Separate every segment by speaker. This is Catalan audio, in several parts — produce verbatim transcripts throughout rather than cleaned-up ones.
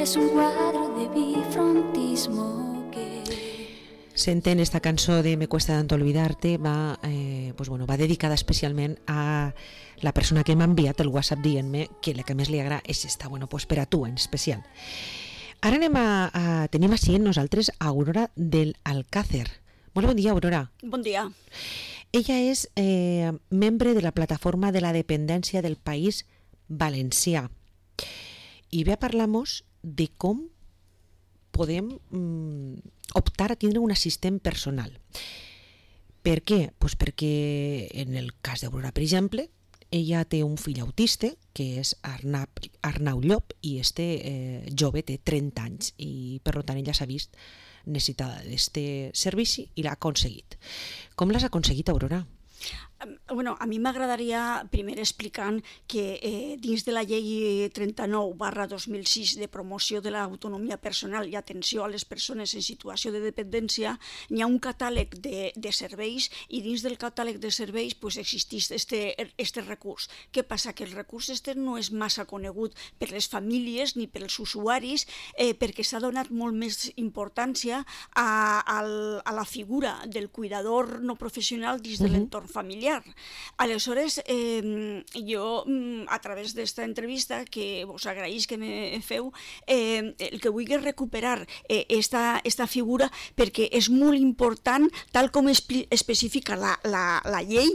Speaker 1: es un cuadro de bifrontismo que...
Speaker 2: Senten esta cançó de Me cuesta tanto olvidarte, va, eh, pues bueno, va dedicada especialment a la persona que m'ha enviat el WhatsApp dient-me que la que més li agrada és esta, bueno, pues per a tu en especial. Ara anem a, a tenim així en nosaltres a Aurora del Alcácer. Molt bon dia, Aurora.
Speaker 3: Bon dia.
Speaker 2: Ella és eh, membre de la plataforma de la dependència del País Valencià i ve a parlar-nos de com podem mm, optar a tindre un assistent personal. Per què? Pues perquè en el cas d'Aurora, per exemple, ella té un fill autista que és Arnau, Arnau Llop i este eh, jove té trenta anys i per tant ella s'ha vist necessitada d'este servici i l'ha aconseguit. Com l'has aconseguit, Aurora?
Speaker 3: Bueno, a mi m'agradaria primer explicant que eh, dins de la llei trenta-nou barra dos mil sis de promoció de l'autonomia personal i atenció a les persones en situació de dependència n'hi ha un catàleg de, de serveis i dins del catàleg de serveis pues, existeix este, este recurs. Què passa? Que el recurs este no és massa conegut per les famílies ni pels usuaris eh, perquè s'ha donat molt més importància a, a, a la figura del cuidador no professional dins de l'entorn familiar. Aleshores, eh, jo, a través d'esta entrevista, que vos agraïs que me feu, eh, el que vull és recuperar eh, esta, esta figura perquè és molt important, tal com especifica la, la, la llei,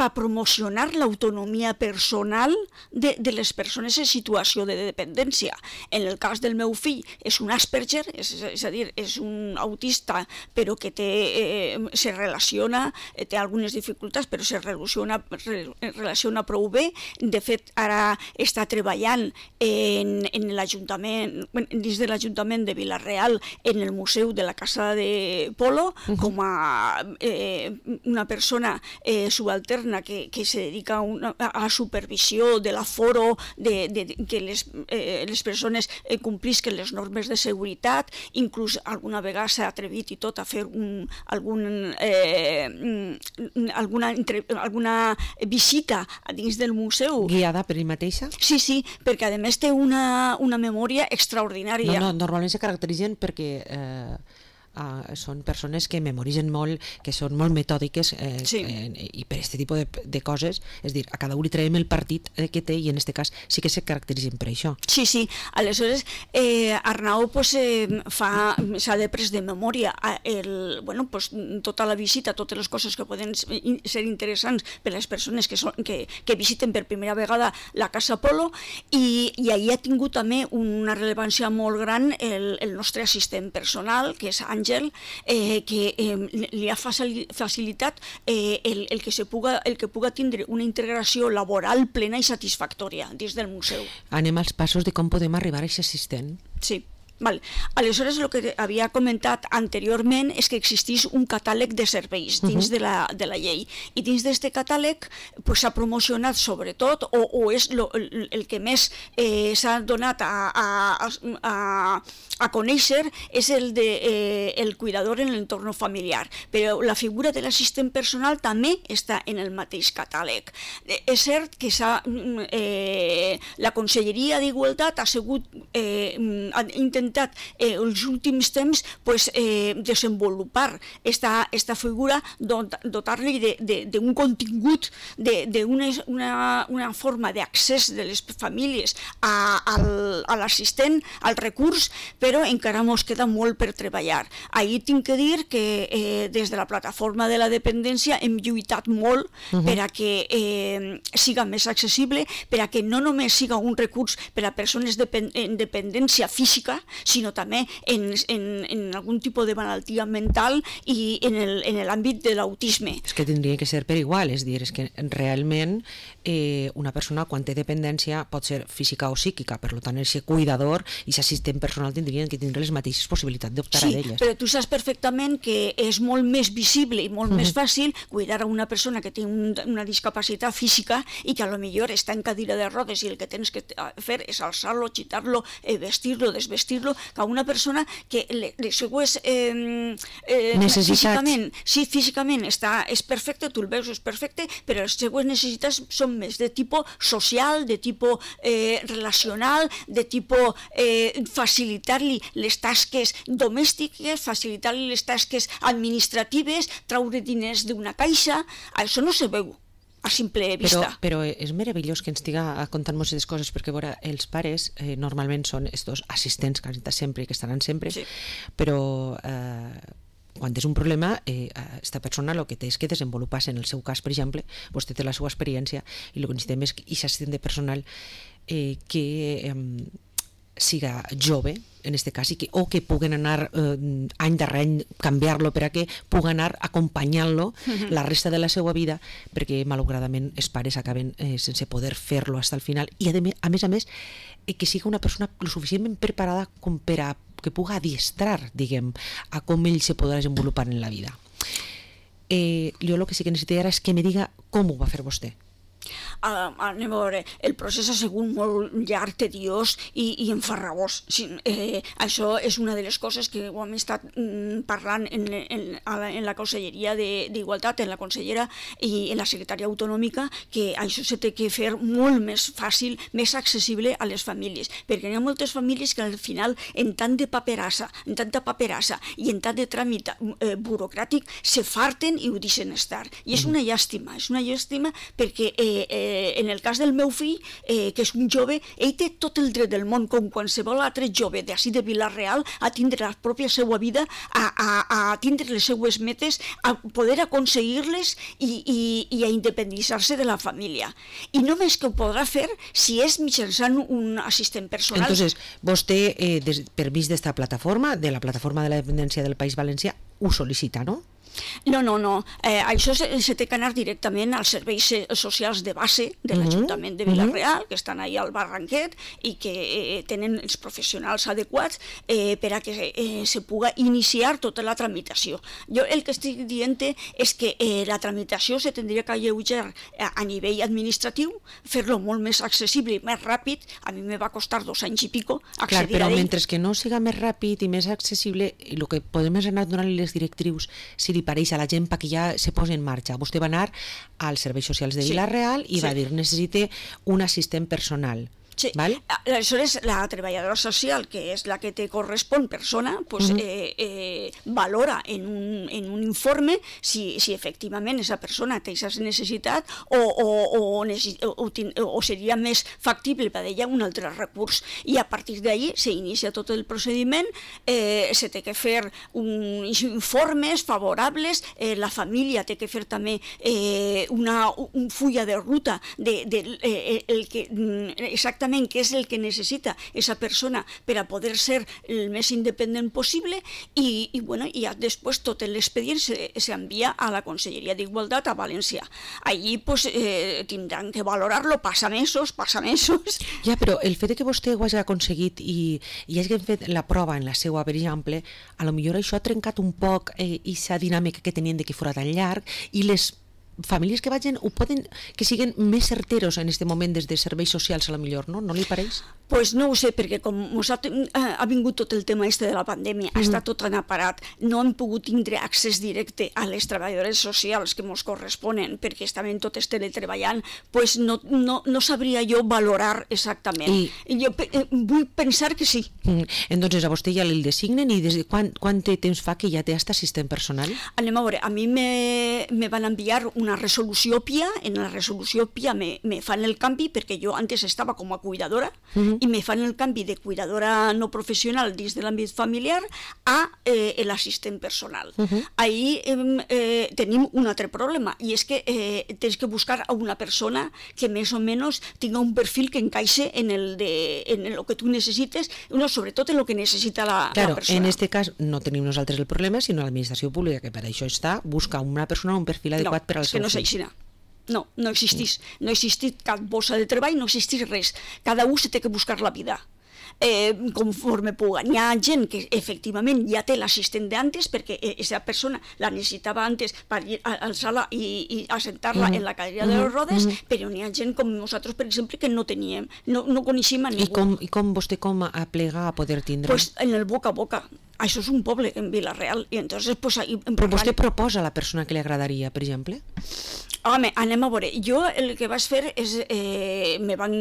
Speaker 3: per promocionar l'autonomia personal de, de les persones en situació de dependència. En el cas del meu fill és un Asperger, és, és a dir, és un autista, però que té, eh, se relaciona, eh, té algunes dificultats, però se relaciona, relaciona prou bé. De fet, ara està treballant en, en l'Ajuntament, dins de l'Ajuntament de Vila-real, en el Museu de la Casa de Polo, uh-huh. com a eh, una persona eh, subalterna que, que se dedica a, una, a la supervisió de l'aforo, de, de, de que les, eh, les persones eh, complisquen les normes de seguretat, inclús alguna vegada s'ha atrevit i tot a fer un, algun, eh, alguna Entre, alguna visita dins del museu.
Speaker 2: Guiada per ell mateixa?
Speaker 3: Sí, sí, perquè a més té una, una memòria extraordinària.
Speaker 2: No, no, normalment se caracteritzen perquè eh, uh, són persones que memoritzen molt, que són molt metòdiques eh, sí. eh, i per aquest tipus de, de coses, és dir, a cada un li traiem el partit que té i en aquest cas sí que se caracteritzen per això.
Speaker 3: Sí, sí, aleshores eh, Arnau pues, eh, fa, s'ha de pres de memòria el, bueno, pues, tota la visita, totes les coses que poden ser interessants per a les persones que, són, que, que visiten per primera vegada la Casa Polo i, i ahir ha tingut també una rellevància molt gran el, el nostre assistent personal, que és Àngel, eh, que eh, li ha facilitat eh, el, el, que se puga, el que puga tindre una integració laboral plena i satisfactòria dins del museu.
Speaker 2: Anem als passos de com podem arribar a aquest assistent.
Speaker 3: Sí. Val. Aleshores, el que havia comentat anteriorment és que existeix un catàleg de serveis dins uh-huh. de, la, de la llei i dins d'aquest catàleg s'ha pues, promocionat sobretot o, o és lo, el, el que més eh, s'ha donat a, a, a, a conèixer és el de eh, el cuidador en l'entorn familiar, però la figura de l'assistent personal també està en el mateix catàleg. Eh, és cert que s'ha eh, la Conselleria d'Igualtat ha sigut eh, ha intentat Eh, els últims temps pues, eh, desenvolupar esta, esta figura, dot, dotar-li d'un contingut, d'una una, una forma d'accés de les famílies a, al, a l'assistent, al recurs, però encara ens queda molt per treballar. Ahir tinc que dir que eh, des de la plataforma de la dependència hem lluitat molt uh-huh. per a que eh, siga més accessible, per a que no només siga un recurs per a persones depend en dependència física, sinó també en, en, en algun tipus de malaltia mental i en l'àmbit de l'autisme.
Speaker 2: És que tindria que ser per igual, és dir, és que realment eh, una persona quan té dependència pot ser física o psíquica, per tant, el ser cuidador i ser assistent personal tindrien que tindre les mateixes possibilitats d'optar
Speaker 3: sí,
Speaker 2: a elles.
Speaker 3: Sí, però tu saps perfectament que és molt més visible i molt uh-huh. més fàcil cuidar a una persona que té un, una discapacitat física i que a lo millor està en cadira de rodes i el que tens que fer és alçar-lo, xitar-lo, eh, vestir-lo, desvestir-lo exemple, que una persona que les seues eh, eh,
Speaker 2: necessitats
Speaker 3: físicament, sí, físicament està, és perfecte, tu el veus, és perfecte, però les seues necessitats són més de tipus social, de tipus eh, relacional, de tipus eh, facilitar-li les tasques domèstiques, facilitar-li les tasques administratives, traure diners d'una caixa, això no se veu a simple vista.
Speaker 2: Però, però és meravellós que ens estiga contant-nos aquestes coses, perquè veure, els pares eh, normalment són estos assistents que han estat sempre i que estaran sempre, sí. Però eh, quan és un problema, eh, esta persona el que té és que desenvolupar-se. En el seu cas, per exemple, vostè té la seva experiència i el que necessitem és aquest assistent personal eh, que eh, siga jove, en este cas, i que, o que puguen anar eh, any darrere any, canviar-lo per a que puguen anar acompanyant-lo uh-huh. la resta de la seva vida, perquè malauradament els pares acaben eh, sense poder fer-lo fins al final, i a, de, a més a més eh, que siga una persona lo suficientment preparada com per a que puga adiestrar, diguem, a com ell se podrà desenvolupar en la vida. Eh, jo el que sí que necessito ara és que me diga com ho va fer vostè.
Speaker 3: Uh, anem a veure, el procés ha sigut molt llarg, tediós i, i enfarragós. Sí, eh, això és una de les coses que ho hem estat mm, parlant en, en, en la Conselleria d'Igualtat, en la consellera i en la secretària autonòmica, que això se té que fer molt més fàcil, més accessible a les famílies, perquè hi ha moltes famílies que al final, en tant de paperassa, en tanta paperassa i en tant de tràmit eh, burocràtic, se farten i ho deixen estar. I és una llàstima, és una llàstima perquè eh, Eh, en el cas del meu fill, eh, que és un jove, ell té tot el dret del món, com qualsevol altre jove d'ací de Vila-real, a tindre la pròpia seva vida, a, a, a tindre les seues metes, a poder aconseguir-les i, i, i a independitzar-se de la família. I només que ho podrà fer si és mitjançant un assistent personal.
Speaker 2: Entonces, vostè, eh, des, per vist d'esta plataforma, de la plataforma de la dependència del País Valencià, ho sol·licita, no?
Speaker 3: No, no, no. Eh, això se, se té que anar directament als serveis socials de base de l'Ajuntament de Vila-real, que estan ahí al Barranquet i que eh, tenen els professionals adequats eh, per a que eh, se puga iniciar tota la tramitació. Jo el que estic dient és que eh, la tramitació se tindria que alleujar a, a nivell administratiu, fer-lo molt més accessible i més ràpid. A mi me va costar dos anys i pico accedir
Speaker 2: Clar, però
Speaker 3: a ell.
Speaker 2: mentre que no siga més ràpid i més accessible, el que podem és anar donant-li les directrius, si li pareix a la gent perquè ja se posi en marxa. Vostè va anar als serveis socials de Vila-real i sí. va dir, necessite un assistent personal.
Speaker 3: Sí.
Speaker 2: Val?
Speaker 3: Aleshores, la treballadora social, que és la que te correspon persona, pues, uh -huh. eh, eh, valora en un, en un informe si, si efectivament aquesta persona té aquesta necessitat o, o, o, o, o seria més factible per ella un altre recurs. I a partir d'ahí s'inicia tot el procediment, eh, se té que fer uns informes favorables, eh, la família té que fer també eh, una un fulla de ruta de, de eh, el que exactament què és el que necessita aquesta persona per a poder ser el més independent possible i, i, bueno, i ja després tot l'expedient s'envia a la Conselleria d'Igualtat a València. Allí pues, eh, tindran que valorar-lo, passa mesos, passa mesos...
Speaker 2: Ja, però el fet que vostè ho hagi aconseguit i, i hagi fet la prova en la seva, per exemple, a lo millor això ha trencat un poc aquesta eh, dinàmica que tenien de que fora tan llarg i les famílies que vagin ho poden, que siguin més certeros en aquest moment des de serveis socials a la millor, no? No li pareix?
Speaker 3: Pues no ho sé, perquè com ha, ha vingut tot el tema este de la pandèmia, mm. està tot tan aparat, no hem pogut tindre accés directe a les treballadores socials que ens corresponen, perquè estaven totes teletreballant, pues no, no, no sabria jo valorar exactament. I... Jo eh, vull pensar que sí.
Speaker 2: Mm. Entonces a vostè ja li designen i des de quan, quant temps fa que ja té aquest assistent personal?
Speaker 3: Anem a veure, a mi me, me van enviar una resolució P I A, en la resolució P I A me, me fan el canvi perquè jo antes estava com a cuidadora uh-huh. i me fan el canvi de cuidadora no professional dins de l'àmbit familiar a eh, l'assistent personal. Uh-huh. Ahí eh, eh, tenim un altre problema i és que eh, tens que buscar a una persona que més o menys tinga un perfil que encaixe en el de en el que tu necessites, no, sobretot en el que necessita la,
Speaker 2: claro,
Speaker 3: la persona.
Speaker 2: En este cas no tenim nosaltres el problema, sinó l'administració pública, que per això està, busca una persona un perfil adequat
Speaker 3: no,
Speaker 2: per al seu
Speaker 3: no és així. No, no existís. No existís cap bossa de treball, no existís res. Cada un se té que buscar la vida. eh, conforme puga. Hi ha gent que efectivament ja té l'assistent d'antes perquè aquesta persona la necessitava antes per ir a alçar-la i, i assentar-la mm. en la cadira de les rodes, mm. però n'hi ha gent com nosaltres, per exemple, que no teníem, no, no coneixíem a ningú.
Speaker 2: I com, i com vostè com aplega a poder tindre?
Speaker 3: Pues en el boca a boca. Això és un poble en Vila-real i entonces pues ahí
Speaker 2: però vostè proposa a la persona que li agradaria, per exemple?
Speaker 3: Home, anem a veure, jo el que vaig fer és eh, me van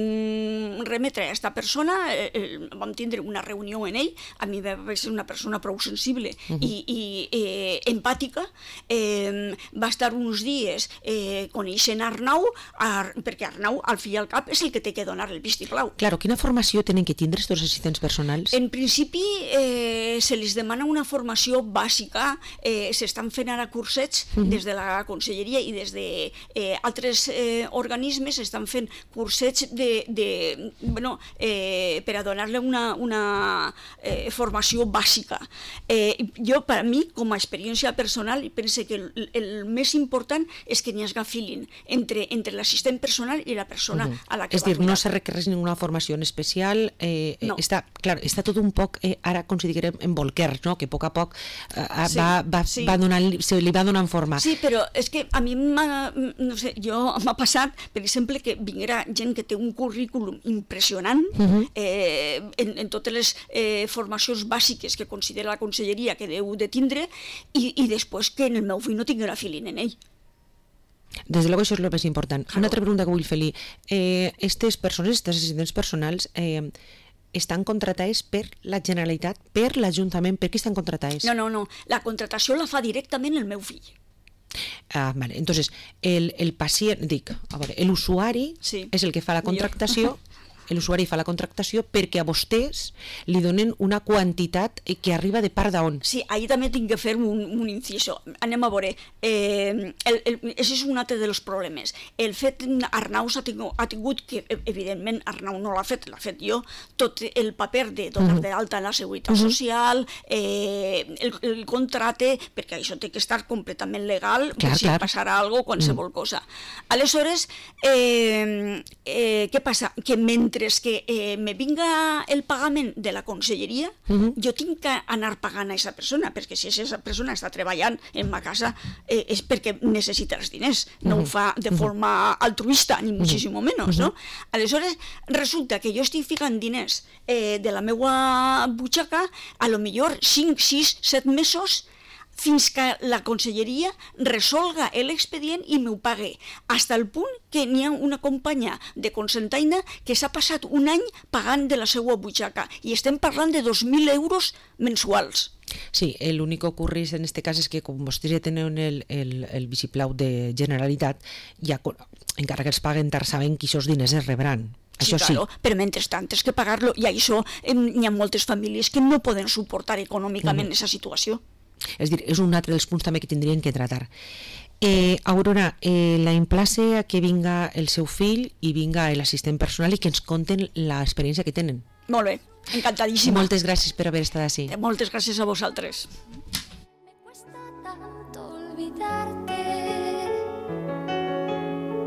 Speaker 3: remetre a aquesta persona, eh, vam tindre una reunió en ell, a mi va ser una persona prou sensible uh -huh. i, i eh, empàtica, eh, va estar uns dies eh, coneixent Arnau, Ar, perquè Arnau al fi i al cap és el que té que donar el vistiplau.
Speaker 2: Claro, quina formació tenen que tindre aquests assistents personals?
Speaker 3: En principi eh, se li es demana una formació bàsica, eh, s'estan fent ara cursets uh -huh. des de la conselleria i des de eh, altres eh, organismes estan fent cursets de, de, bueno, eh, per a donar-li una, una eh, formació bàsica. Eh, jo, per a mi, com a experiència personal, penso que el, el més important és que n'hi hagi feeling entre, entre l'assistent personal i la persona uh -huh. a la que
Speaker 2: és
Speaker 3: va
Speaker 2: dir,
Speaker 3: cuidar.
Speaker 2: No se requereix ninguna formació en especial, eh,
Speaker 3: no.
Speaker 2: està, clar, està tot un poc, eh, ara considerem en bolquer, no? Que a poc a poc eh, sí, va, va, sí. va donant, se li va donant forma.
Speaker 3: Sí, però és que a mi m'ha, no sé, jo m'ha passat, per exemple, que vinguera gent que té un currículum impressionant uh -huh. eh, en, en totes les eh, formacions bàsiques que considera la conselleria que deu de tindre i, i després que en el meu fill no tinguera feeling en ell.
Speaker 2: Des de luego això és el més important.
Speaker 3: Claro.
Speaker 2: Una altra pregunta que vull fer-li. Eh, estes persones, estes assistents personals, eh, estan contratades per la Generalitat, per l'Ajuntament, per qui estan contratades?
Speaker 3: No, no, no. La contratació la fa directament el meu fill.
Speaker 2: Ah, vale. Entonces, el, el pacient, dic, a veure, l'usuari
Speaker 3: sí.
Speaker 2: és el que fa la contractació, l'usuari fa la contractació perquè a vostès li donen una quantitat que arriba de part d'on.
Speaker 3: Sí, ahí també tinc que fer un, un inciso. Anem a veure, eh, el, el, això és un altre dels problemes. El fet, Arnau ha tingut, ha tingut que, evidentment, Arnau no l'ha fet, l'ha fet jo, tot el paper de donar uh-huh. d'alta en la Seguretat uh-huh. Social, eh, el, el contracte, perquè això té que estar completament legal,
Speaker 2: clar,
Speaker 3: per si
Speaker 2: clar.
Speaker 3: passarà alguna cosa, qualsevol uh-huh. cosa. Aleshores, eh, eh, què passa? Que mentre que eh, me vinga el pagament de la conselleria, uh-huh. jo tinc que anar pagant a aquesta persona, perquè si aquesta persona està treballant en ma casa eh, és perquè necessita els diners, no uh-huh. ho fa de forma altruista, ni muchísimo menos, uh-huh. no? Aleshores, resulta que jo estic ficant diners eh, de la meva butxaca, a lo millor cinc, sis, set mesos, fins que la conselleria resolga l'expedient i m'ho pague, fins al punt que n'hi ha una companya de Cocentaina que s'ha passat un any pagant de la seva butxaca, i estem parlant de dos mil euros mensuals.
Speaker 2: Sí, l'únic que ocorre en aquest cas és que com vostès ja tenen el, el, el vistiplau de Generalitat, ja, encara que els paguen tard, saben que aquests diners es rebran.
Speaker 3: Sí,
Speaker 2: això
Speaker 3: claro,
Speaker 2: sí.
Speaker 3: Però mentrestant és que pagar-lo, i això eh, hi ha moltes famílies que no poden suportar econòmicament aquesta mm. situació.
Speaker 2: És dir, és un altre dels punts també que tindrien que tratar. Eh, Aurora, eh, la emplace a que vinga el seu fill i vinga l'assistent personal i que ens conten l'experiència que tenen.
Speaker 3: Molt bé, encantadíssima.
Speaker 2: Moltes gràcies per haver estat així.
Speaker 3: Moltes gràcies a vosaltres.